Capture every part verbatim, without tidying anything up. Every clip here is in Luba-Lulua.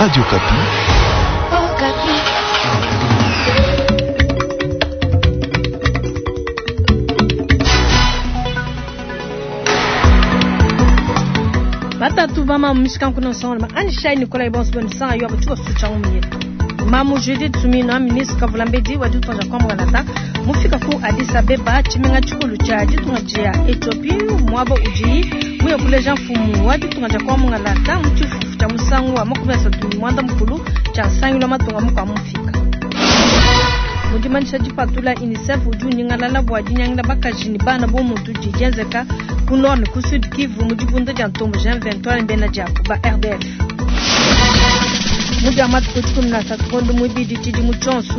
Radio Okapi. Batatu bama mishikanku nsonga anishai Nikolai bonso bonisanga yo abachuka sucha umyetu Mamu Judith Suminwa ministre Kavulambedi wa ditunga dia Kongo mufika ku Addis Abeba tshimenga tshikulu tshia ditunga dia Ethiopie muaba udi muye kuleja mfumu wa ditunga dia Kongo mu tshifufu tshia musangu wa makumi asatu ne muanda mukulu tshia nsangilu wa matunga mukua mufika. Mudimanyisha dipatula UNICEF udi unyingalala bua dinyangila bakaji ne bana bo muntu didi dienzeka ku nord ne ku sud Kivu mu dibunda dia ntombo Jean vingt-trois mbena diabu ba R D F. Mudia matuku dikumi na asatu kondo muibidi tshidimu tshionso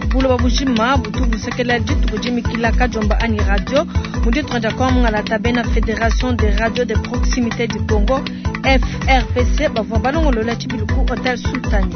buloba bujima butu busekela dituku dimikila kadiomba anyi radio mu ditunga dia Kongo mungalata bena Fédération des radios de proximité du Congo F R P C bavua balongolola tshibilu ku Hotel Sultani.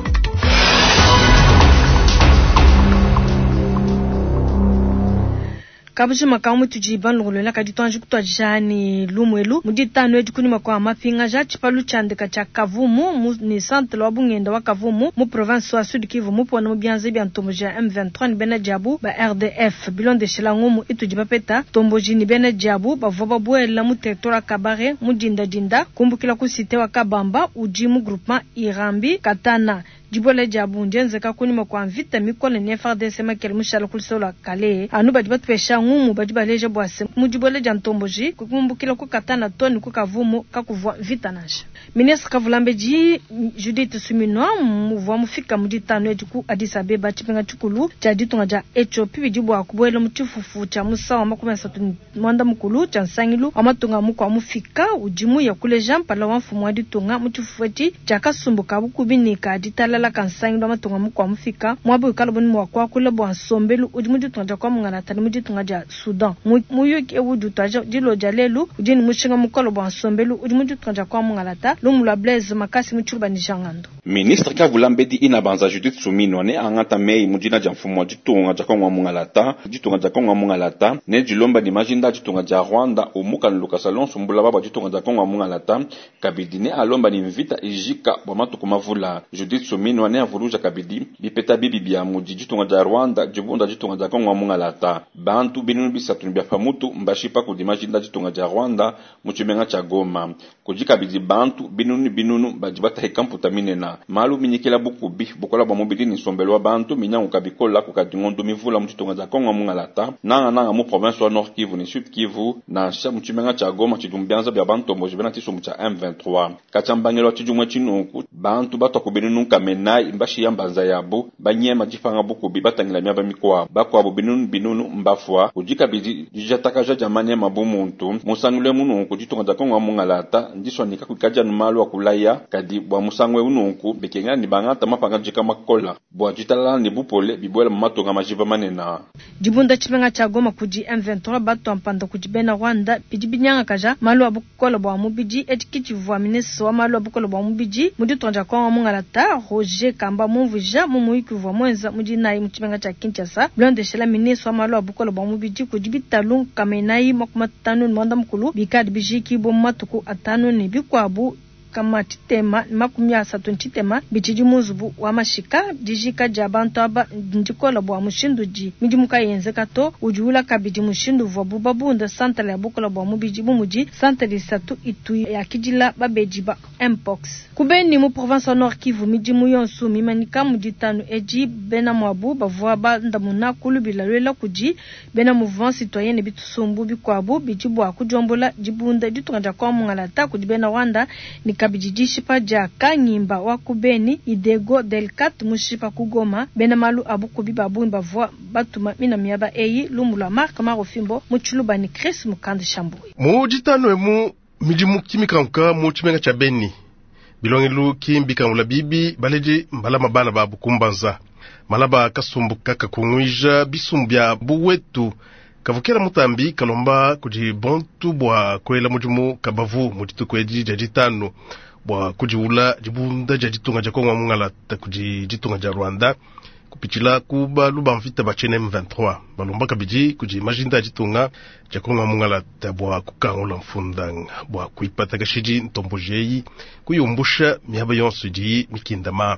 Kabujima ka mutuji banlongolola kadi tuanji kutuadija ni lumwelu mu ditanu edi kunyima kua mapingaja tshipalu tshiandika tshia Kavumu mu ni centre wa Bungenda wa Kavumu mu province wa Sud Kivu mu pona mu bianze bia ntomboji ya M vingt-trois ni bena diabu ba R D F bilondeshela ngumu itudi bapeta ntomboji ni bena diabu bavua babuela mu territoire Kabare mu dinda dinda kumbukila ku cité wa Kabamba udi mu groupement Irambi Katana. Dibole dia bundi enzeka kunyima kua mvita mikole ne F R D C makele mushala kulisola kale anu badi batupesha ngumu badi baleja bua se mu dibole dia ntomboji kukumbukila ku Katana to ni ku Kavumu kakuvua mvita nansha. Ministre Kavulambedi Judith Suminwa muvua mufika mu ditanu edi ku Addis Abeba tshipenga tshikulu tshia ditunga dia Ethiopie bidi bua kubuela mu tshifufu tshia musangu wa makumi asatu ne muanda mukulu tshia nsangilu wa matunga mukua mufika udi muya kuleja mpala wa mfumu wa ditunga mu tshifufu etshi tshia kasumbu ka bukubi ne ka ditalala ka nsangilu wa matunga mukua mufika muaba wikala buni mua kuakula bua nsombelu udi mu ditunga dia Kongo ne mu ditunga dia Soudan. Muyuki ewu udi utuadija dilo dia lelu udi ne mushinga mukole bua nsombelu udi mu ditunga dia Kongo lumu lua Blaise Makasi mu tshiluba ne Jangando. Ministre Kavulambedi inabanza Judith Suminwa ne angata mei mu dina dia mfumu wa ditunga dia Kongo mungalata ditunga dia Kongo mungalata ne dilomba ne majinda ditunga dia Rwanda umuka lukasa lonso mbula baba ditunga dia Kongo mungalata kabidi ne alomba ni mvita ijika bwa matuku mavula. Judith Suminwa ne avuluja kabidi bipeta bibi bia mu ditunga dia Rwanda dibunda ditunga dia Kongo mungalata bantu binunu bisatu bia pamutu mbashipa kudi majinda ditunga dia Rwanda mu tshimenga tshia Goma kudi kabidi bantu binunu binunu badi batahika mputa minena malu minyikila bukubi bukola bwa mubili ni nsombelo wa bantu minyangu kabikola kukadi ngondo mivula mu ditunga dia Kongo mungalata nanga nanga mu province wa Nord Kivu ni Sud Kivu nansha mu tshimenga tshia Goma tshidi mu bianza bia bantomboji bena tshisumbu tshia M vingt-trois katshiambangelo tshidimue tshinunku bantu batwa ku binunu nkamenai mbashiya mbanza yabu banyema dipanga bukubi batangila miaba mikuabu bakuabu binunu binunu mbafua kudi kabidi dijatakaja dia manyema bu muntu musangule mununku ditunga dia Kongo mungalata ndiswanika kuikadja nu malu akulaya kadi bua musangu eu nunku bekenga ni bangata mapanga jika makola bua ditalala ne bupole bibuela mu matunga majiba manena. Dibunda tshimenga tshia Goma kudi M vingt-trois bato mpanda kudi bena Rwanda bidi binyangakaja malu a bukola bua mubidi etshi tshivua ministre wa malu a bukola bua mubidi mu ditunga dia Kongo mungalata Roger Kamba mumvuija mu muyuki uvua muenza mu dinayi mu tshimenga tshia Kinshasa bilondeshela ministre wa malu a bukola bua mubidi kudi bitalu nkamenayi makumi atanu ne muanda mukulu bikadi bijikibua mu matuku atanu ne bikuabu kama tshitema makumi asatu ntshitema bitshidi mu nzubu wa mashika dijika dia bantu aba ndikola bua mushindu di midimu kayenzeka to udi ula kabidi mushindu uvua bubabunda santale ya bukola bua mubidi bu mudi santale isatu itu yakidila babedi ba mpox kubeni mu province wa Nord Kivu midimu yonso mimanyika mu ditanu edi bena mwabu bavua bandamuna kulubila lwela kudi bena mouvement citoyen ne bitusumbu bikuabu bidi bua kudiombola dibunda ditunga dia Kongo mungalata kudi bena Rwanda ni kabidi dishipa dia Kanyimba wa kubeni Idego Delcat mushipa kugoma bena malu abukubi babungi bavua batuma mina miaba eyi lumu lwa Mark Marofimbo mu tshiluba ni Chris Mukanda Shambui. Mu ditanu emu midimu kimikanka mu tshimenga tshia Beni bilongelu kimbikangula bibi baledi mbalama bana babu kumbanza malaba kasumbu kakakunguija bisumbu bia buwetu kavukela mutambi kalomba kudi bontu bua kuela mudimu kabavu mu dituku edi dia ditanu bua kudiwula dibunda dia ditunga dia Kongo mungalata kudi ditunga dia Rwanda Kupitshila ku balu ba mvita ba T M vingt-trois balomba kabidi kudi majinda a ditunga dia Kongo mungalata bua kukangula mfundanga bua kuipata kashidi ntombojeyi kuyumbusha miaba yonso idi mikindama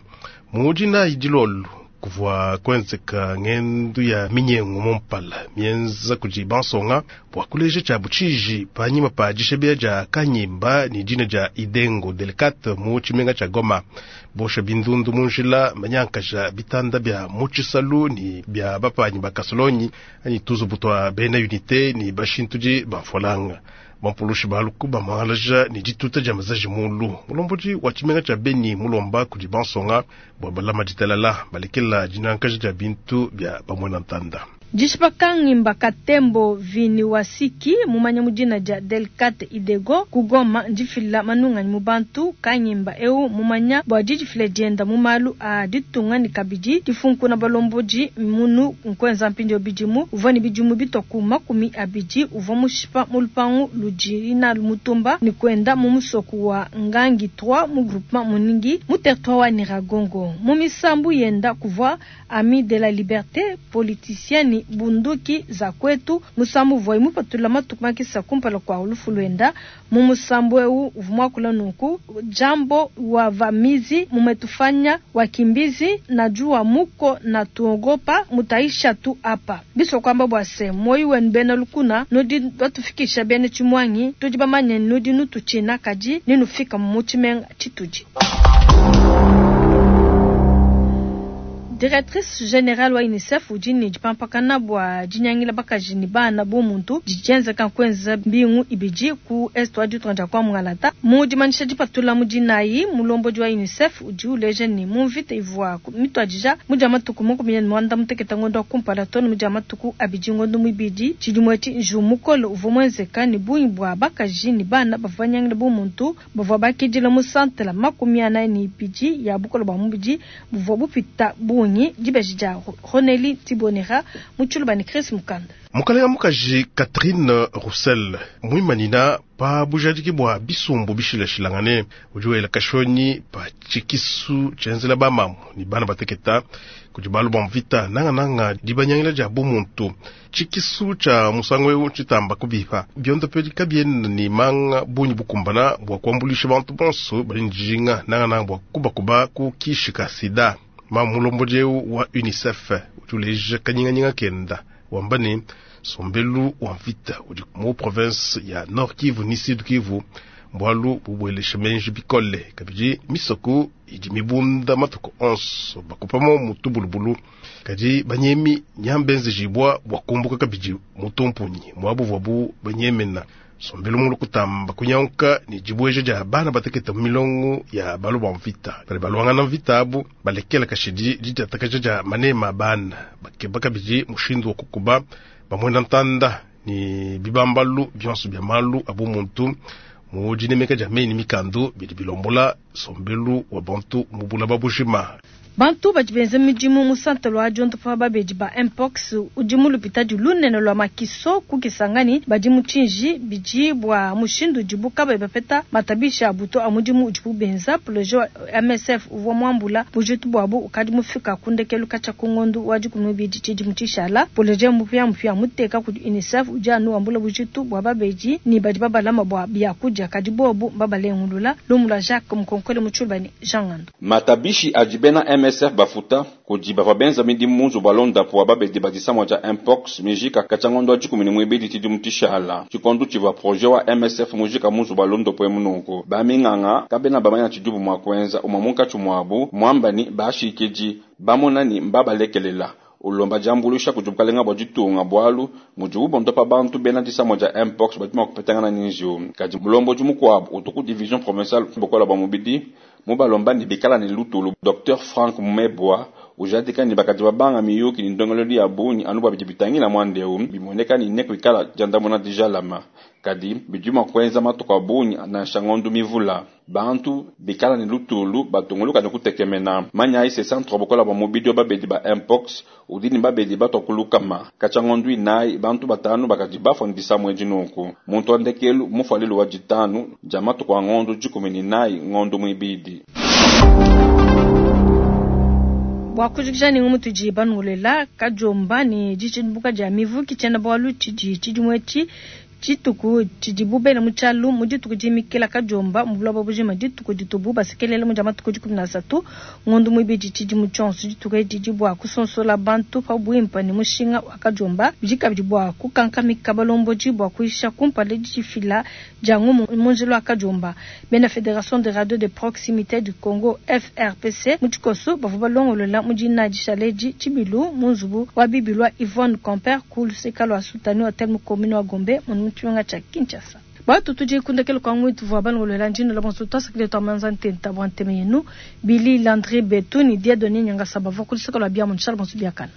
mudina idilolo kuvua kwenzeka ngendu ya minyengo mumpala mienza kudi bansonga bua kuleja tshia butshiji panyima pa dishebea dia kanyimba ni dina dia Idengo Delicate mu tshimenga tshia Goma bosha bindundu munjila manyankaja bitanda bia mutshisalu ni bia bapanyi bakasolonyi ani tuzu butwa bena unité ni bashintudi bafolanga bampulushi baluku bamangalaja ni dituta dia mazaji mulu mulomboji wa tshimenga tshia Beni mulomba kudi bansonga bua balama ditalala balekela dinankaja dia bintu bia bamwena ntanda. Jishipa kangimba katembo vini wasiki mumanya mudina dia Delicate Idego kugoma ndifila manunga mubantu kangimba eu mumanya bua didifila dienda mumalu a ditunga ni kabidi difunkuna balomboji munu nkwenza mpindio bidimu uvua ni bidimu bitoku makumi abidi uvua mushipa mulupangu ludi na lumutumba ni kwenda mumusoku wa Ngangi trois mu groupement muningi mu territoire wa Nyiragongo mu misambu yenda kuvua ami de la liberté politicienne bunduki za kwetu musambu voi mupatula matuku makisa kumpala kwa ulufulwenda mu musambu eu uvumwakula nunku jambo wa vamizi mumetufanya wakimbizi na jua muko na tuogopa mutaisha tu apa biso kwamba bwase moyi wenu bena lukuna nudi batufikisha bene chimwangi tudi bamanye nudi nutuchina kaji ninufika mu chituji. Directrice générale wa UNICEF ujini jipampakana bwa jinyangila bakaji ni bana bo muntu jijenza kankwenza mbingu ibiji ku est wa ditunga kwa mungalata mu dimanisha dipatula mujinayi mulombo wa UNICEF uji uleje ni mumvite ivwa mitwajija muja matuku makumi mwanda muteketa ngondo kumpala tono muja matuku abiji ngondo mwibidi chidimweti njumukolo uvomwenzeka ni bunyi bwa bakaji ni bana bavanyangila bo muntu bavwa bakidila mu santela makumi anayi ni ibiji ya bukolo bwa mubiji buvwa bupita bunyi dibeji dia Roneli Tibonera mutshulu ni Chris Mukanda. Mukalenga mukaji Catherine Roussel mwimanina pa bujadiki bwa bisumbu bishilashilangane ujuwela kashonyi pa chikisu chenzela bamamu ni bana bateketa kudi balu bwa mvita nanga nanga dibanyangila dia bumuntu chikisu cha musango eu chitamba kubipa biondopeli kabiena ni manga bunyi bukumbana bwa kuambulisha bantu bonso bali njinga nanga nanga bwa kubakuba ku kishika sida. Mamulomboje wa UNICEF utuleje kanyinganyinga kenda wambani sombelu wa mvita udi mu province ya Nord Kivu ni Sud Kivu mbwalu bubwelesha menji bikole kabidi misoko idi mibunda matuku onso bakupamo mutubulubulu kadi banyemi nyambenze jibwa bwakumbuka kabidi mutumpunyi mwabu banyemena sombelu mulu kutamba kunyanka ni jibweje ja bana bateketa milongo ya balu ba mvita bali balwangana mvita abu balekela kashidi ditatakaja ja manema bana bakeba kabidi mushindu wa kukuba bamwenda ntanda ni bibambalu bionso bya malu abu muntu mu dinemeka ja meni mikando bidi bilombola sombelu wa bantu mubula babushima. Bantu badi benza midimu mu centre lwa diondopa babedi ba mpox udi mu lupitadi lunene lwa makiso ku Kisangani badi mu tshinji bidi bua mushindu udibu kabayi bapeta matabisha a buto a mudimu udibu benza projet wa M S F uvua muambula bujitu buabu ukadi mufika ku ndekelu katshia ku ngondu wa dikumi n'ibidi tshidimu tshishala projet mupia mupia muteka kudi UNICEF udi anu wambula bujitu bua babedi ni badi babalama bua biakudia kadi bobu babalengulula lumu lwa Jacques Mukonkole mu Tshilubani Jean Ngando. Matabishi adi bena M S F bafuta kudi bavua benza midimu mu nzubu wa londapu wa babedi badisamwa dia mpox mijika katshia ngondo wa dikumi ne muibidi tshidimu tshishala tshikondo tshivua projet wa M S F mujika mu nzubu wa londapu emu nunku baminganga kabena bamanya tshidibu mua kuenza umue munkatshi muabu muambani bashikidi bamonani mbabalekelela ulomba diambuluisha kudi bukalenga bua ditunga bwalu mudibu bondopa bantu bena disamwa dia mpox badi mua kupetangana ni njiwu kadi mulomboji mukuabu utu ku division provinciale bukola bua mubidi mubalomba ni bikala ni lutulu Docteur Frank Mebwa ujadika ni bakadi babanga miyuki ni ndongololi ya bunyi anu bua bidi bitangila mwandeu bimoneka ni ne kuikala diandamuna dijalama kadi bidi mua kuenza matuku a bunyi nansha ngondu mivula bantu bikala ni lutulu batunguluka ni kutekemena manya ise centre bukola bua mubidi wa babedi ba mpox udi ni babedi batwa kulukama katshia ngondu inayi bantu batanu bakadi bafua ni disamwa edi nunku muntu wa ndekelu mufualilu wa ditanu dia matuku a ngondu dikumi ni inayi ngondu muibidi. Bua kujikija ne ngumu tudi banungulela kadiomba ne ditshibuka dia mivu ki tshiena bualu tshidi tshidimu etshi dituku tshidibu bela mu tshialu mu dituku dimikila kadiomba mu buloba bujima dituku ditubu basekelela mu dia matuku dikumi na asatu ngondo muibidi tshidimu tshionso dituku edi didi bua kusonsola bantu pa buimpe ne mushinga wa kadiomba bidi kabidi bua kukankamika balombodi bua kuyisha kumpala didifila dia ngumu mu njila wa kadiomba. Bena Federation des radios de proximite du Congo F R P C mu tshikoso bavua balongolola mu dina dishale edi tshibilu mu nzubu wa bibilu wa Yvonne Camper ku luseka lua Sutani Hotel mu commune wa Gombe mu tshimenga tshia Kinshasa. Batu tudi kundekelo kwa ngwitu vua balongolola ndino la bonso twasakile twamanza ntenta bua nteme yenu Billy Landry Betu ni Dieudonné Nyangasaba bavua ku luseka lua biamu nshala bonso biakana.